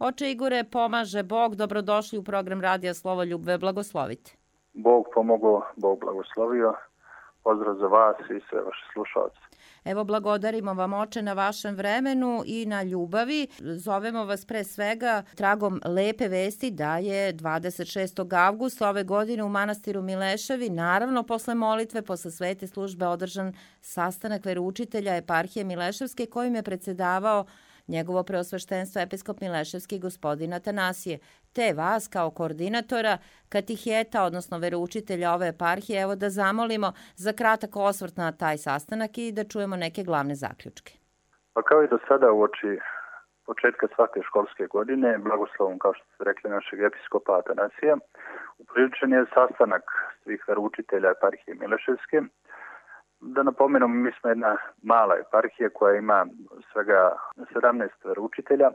Oče Igore, pomaže Bog, dobrodošli u program Radija Slovoljub, blagoslovite. Bog pomogao, Bog blagoslovio. Pozdrav za vas i sve vaše slušalce. Evo, blagodarimo vam, oče, na vašem vremenu i na ljubavi. Zovemo vas pre svega tragom lepe vesti da je 26. avgusta ove godine u manastiru Mileševi, naravno posle molitve, posle svete službe, održan sastanak veroučitelja eparhije Mileševske kojim je predsedavao njegovo preosveštenstvo episkop Mileševski gospodin Atanasije, te vas kao koordinatora katiheta, odnosno veroučitelja ove eparhije, evo da zamolimo za kratak osvrt na taj sastanak i da čujemo neke glavne zaključke. Pa kao i do sada uoči početka svake školske godine, blagoslovom, kao što ste rekli, našeg episkopa Atanasija, upriličen je sastanak svih veroučitelja eparhije Mileševske. Da napomenemo, mi smo jedna mala eparhija koja ima svega 17 veroučitelja.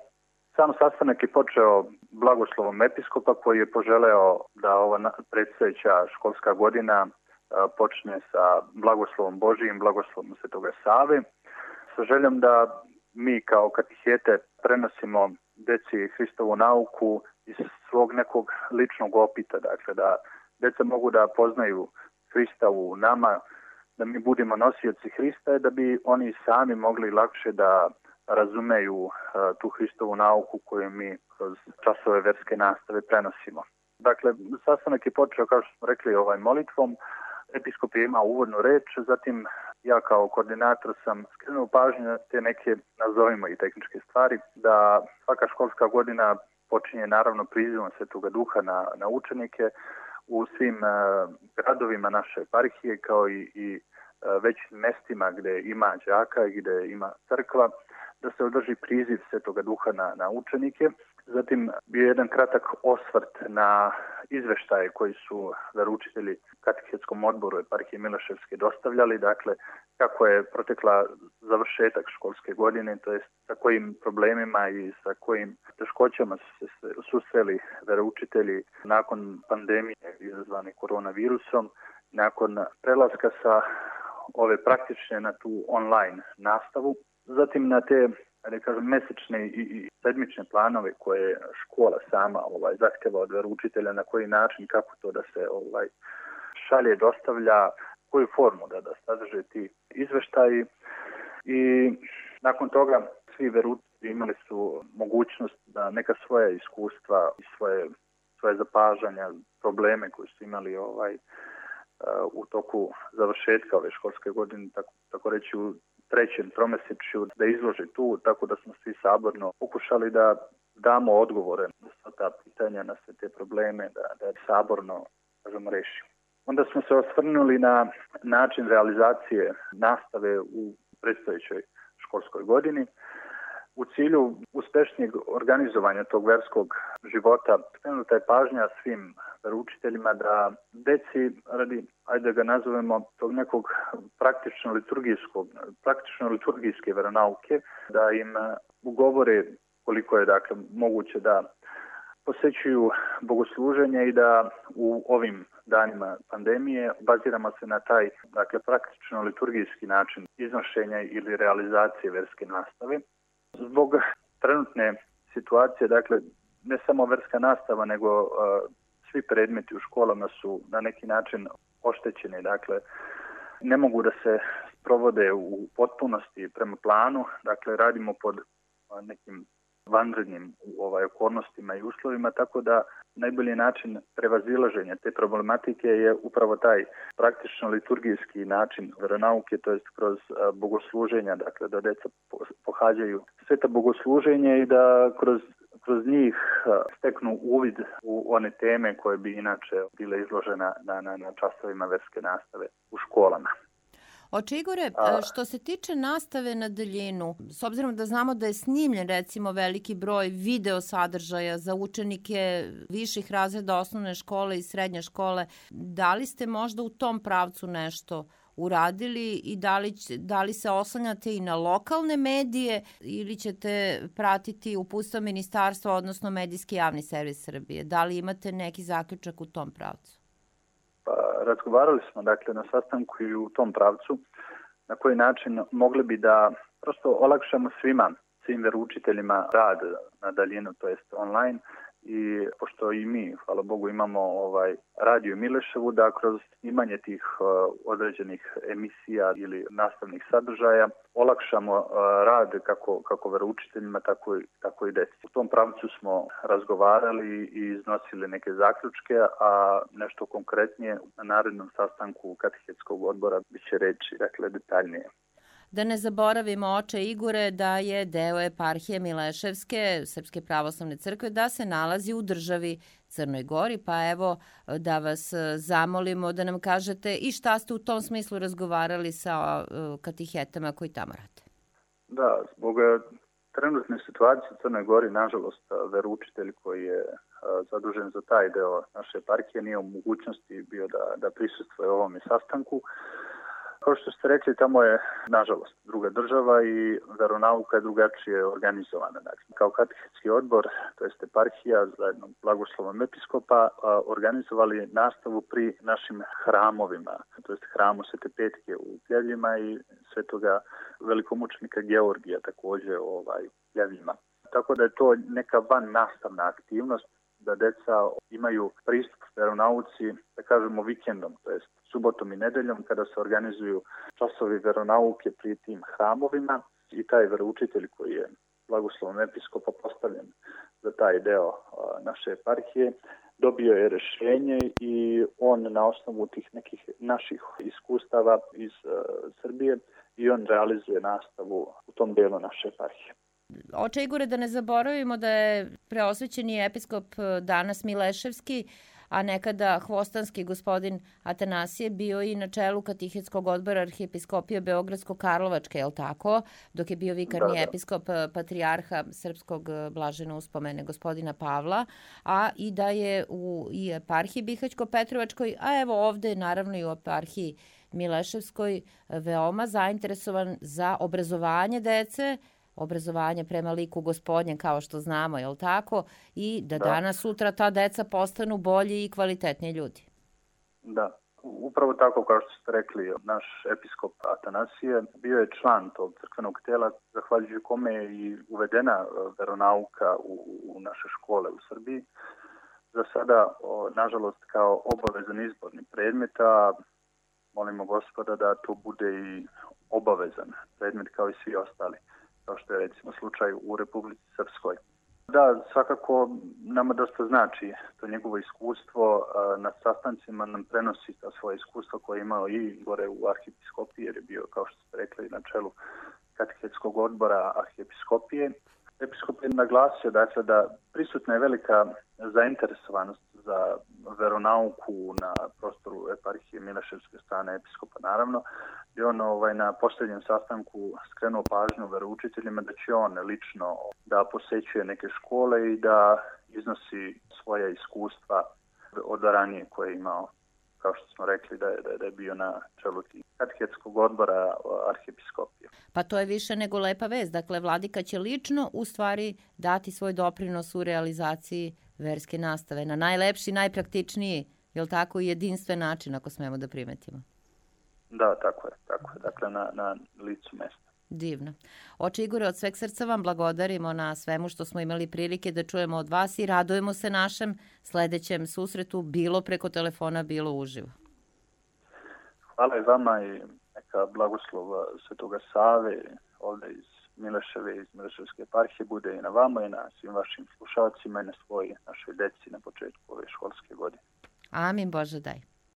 Sam sastanak je počeo blagoslovom episkopa koji je poželeo da ova predstojeća školska godina počne sa blagoslovom Božijim, blagoslovom Svetoga Save, sa željom da mi kao katihete prenosimo deci Hristovu nauku iz svog nekog ličnog opita, dakle da deca mogu da poznaju Hrista u nama, da mi budemo nosioci Hrista i da bi oni sami mogli lakše da razumeju tu Hristovu nauku koju mi kroz časove verske nastave prenosimo. Dakle, sastanak je počeo, kao što smo rekli, molitvom. Episkop je imao uvodnu reč, zatim ja kao koordinator sam skrenuo pažnju na te neke, nazovimo i tehničke stvari, da svaka školska godina počinje naravno prizivom Svetoga Duha na učenike u svim gradovima naše eparhije, kao i većim mestima gde ima đaka i gde ima crkva, da se održi priziv Svetoga Duha na učenike. Zatim bio jedan kratak osvrt na izveštaje koji su veroučitelji katehetskom odboru eparhije Mileševske dostavljali, dakle kako je protekla završetak školske godine, to jest sa kojim problemima i sa kojim teškoćama su se susreli veroučitelji nakon pandemije izazvane koronavirusom, nakon prelaska sa ove praktične na tu online nastavu, zatim na te mesečne i sedmične planove koje škola sama zahteva od veroučitelja, na koji način, kako to da se šalje, dostavlja, koju formu da sadrže ti izveštaji. I nakon toga svi veroučitelji imali su mogućnost da neka svoja iskustva i svoje zapažanja, probleme koje su imali u toku završetka ove školske godine, tako reći u trećem tromesečju, da izlože tu, tako da smo svi saborno pokušali da damo odgovore na sva ta pitanja, na sve te probleme, da saborno, kažemo, rešimo. Onda smo se osvrnuli na način realizacije nastave u predstojećoj školskoj godini. U cilju uspešnijeg organizovanja tog verskog života skrenuta je pažnja svim veroučiteljima da deci radi, ajde da ga nazovemo, tog nekog praktično-liturgijske veronauke, da im ugovore koliko je dakle moguće da posećuju bogosluženje i da u ovim danima pandemije baziramo se na taj praktično-liturgijski način iznošenja ili realizacije verske nastave. Zbog trenutne situacije, dakle, ne samo verska nastava, nego svi predmeti u školama su na neki način oštećeni, dakle, ne mogu da se sprovode u potpunosti prema planu, dakle, radimo pod nekim vanrednim okolnostima i uslovima, tako da najbolji način prevazilaženja te problematike je upravo taj praktično liturgijski način veronauke, to jest kroz bogosluženja, dakle da deca pohađaju sveta bogosluženje i da kroz njih steknu uvid u one teme koje bi inače bile izložene na časovima verske nastave u školama. Oče Igore, što se tiče nastave na daljinu, s obzirom da znamo da je snimljen recimo veliki broj video sadržaja za učenike viših razreda osnovne škole i srednje škole, da li ste možda u tom pravcu nešto uradili i da li se oslanjate i na lokalne medije ili ćete pratiti uputstva ministarstva, odnosno medijski javni servis Srbije? Da li imate neki zaključak u tom pravcu? Razgovarali smo dakle na sastanku i u tom pravcu na koji način mogli bi da prosto olakšamo svima svim veroučiteljima rad na daljinu, to jest online. I pošto i mi, hvala Bogu, imamo radio Mileševu, da kroz imanje tih određenih emisija ili nastavnih sadržaja olakšamo rad kako veroučiteljima, tako i deci. U tom pravcu smo razgovarali i iznosili neke zaključke, a nešto konkretnije na narednom sastanku katehetskog odbora biće reći, dakle, detaljnije. Da ne zaboravimo, oče Igore, da je deo eparhije Mileševske, Srpske pravoslavne crkve, da se nalazi u državi Crnoj Gori, pa evo da vas zamolimo da nam kažete i šta ste u tom smislu razgovarali sa katehetama koji tamo rade. Da, zbog trenutne situacije u Crnoj Gori, nažalost, veroučitelj koji je zadužen za taj deo naše eparhije nije u mogućnosti bio da prisustvuje ovome sastanku. Kao što ste rekli, tamo je, nažalost, druga država i veronauka je drugačije organizovana. Dakle, kao katehetski odbor, to jest eparhija, zajedno blagoslovom episkopa, organizovali nastavu pri našim hramovima, to jest hramu Svete Petke u Pljevljima i svetoga velikomučenika Georgija također u Pljevljima. Tako da je to neka van nastavna aktivnost, da deca imaju pristup veronauci, da kažemo vikendom, to jest subotom i nedeljom, kada se organizuju časovi veronauke pri tim hramovima i taj veroučitelj koji je blagoslovom episkopa postavljen za taj deo naše eparhije, dobio je rješenje i on na osnovu tih nekih naših iskustava iz Srbije i on realizuje nastavu u tom delu naše eparhije. Oče Igore, da ne zaboravimo da je preosvećeni episkop danas Mileševski, a nekada hvostanski gospodin Atanasije bio i na čelu katehetskog odbora arhijepiskopije Beogradsko-Karlovačke, je li tako? Dok je bio vikarni episkop patrijarha srpskog blaženo uspomene gospodina Pavla, a i da je u eparhiji Bihaćko-Petrovačkoj, a evo ovde naravno i u eparhiji Mileševskoj veoma zainteresovan za obrazovanje dece, obrazovanje prema liku gospodnjem, kao što znamo, je li tako? I da danas, sutra ta deca postanu bolji i kvalitetni ljudi. Da, upravo tako kao što ste rekli, naš episkop Atanasije bio je član tog crkvenog tela, zahvaljujući kome je i uvedena veronauka u naše škole u Srbiji. Za sada, nažalost, kao obavezan izborni predmet, a molimo Gospoda da to bude i obavezan predmet kao i svi ostali, kao što je recimo slučaj u Republici Srpskoj. Da, svakako nama dosta znači to njegovo iskustvo, na sastancima nam prenosi ta svoje iskustvo koje je imao i gore u arhijepiskopiji, jer je bio, kao što ste rekli, na čelu katehetskog odbora arhijepiskopije. Episkop je naglasio, dakle, da prisutna je velika zainteresovanost za veronauku na prostoru eparhije Mileševske strane episkopa, naravno. I on na posljednjem sastanku skrenuo pažnju veroučiteljima da će on lično da posećuje neke škole i da iznosi svoja iskustva od ranije koje je imao, kao što smo rekli, da je bio na čelu katehetskog odbora arhijepiskopije. Pa to je više nego lepa vest. Dakle, vladika će lično u stvari dati svoj doprinos u realizaciji verske nastave na najlepši, najpraktičniji, je li tako, i jedinstven način, ako smemo da primetimo. Da, tako je. Dakle, na licu mesta. Divno. Oče Igore, od sveg srca vam blagodarimo na svemu što smo imali prilike da čujemo od vas i radujemo se našem sledećem susretu, bilo preko telefona, bilo uživo. Hvala i vama i neka blagoslova Svetoga Save ovde iz Mileševe, iz Mileševske eparhije bude i na vama i na svim vašim slušalcima i na našoj deci na početku ove školske godine. Amin, Bože daj.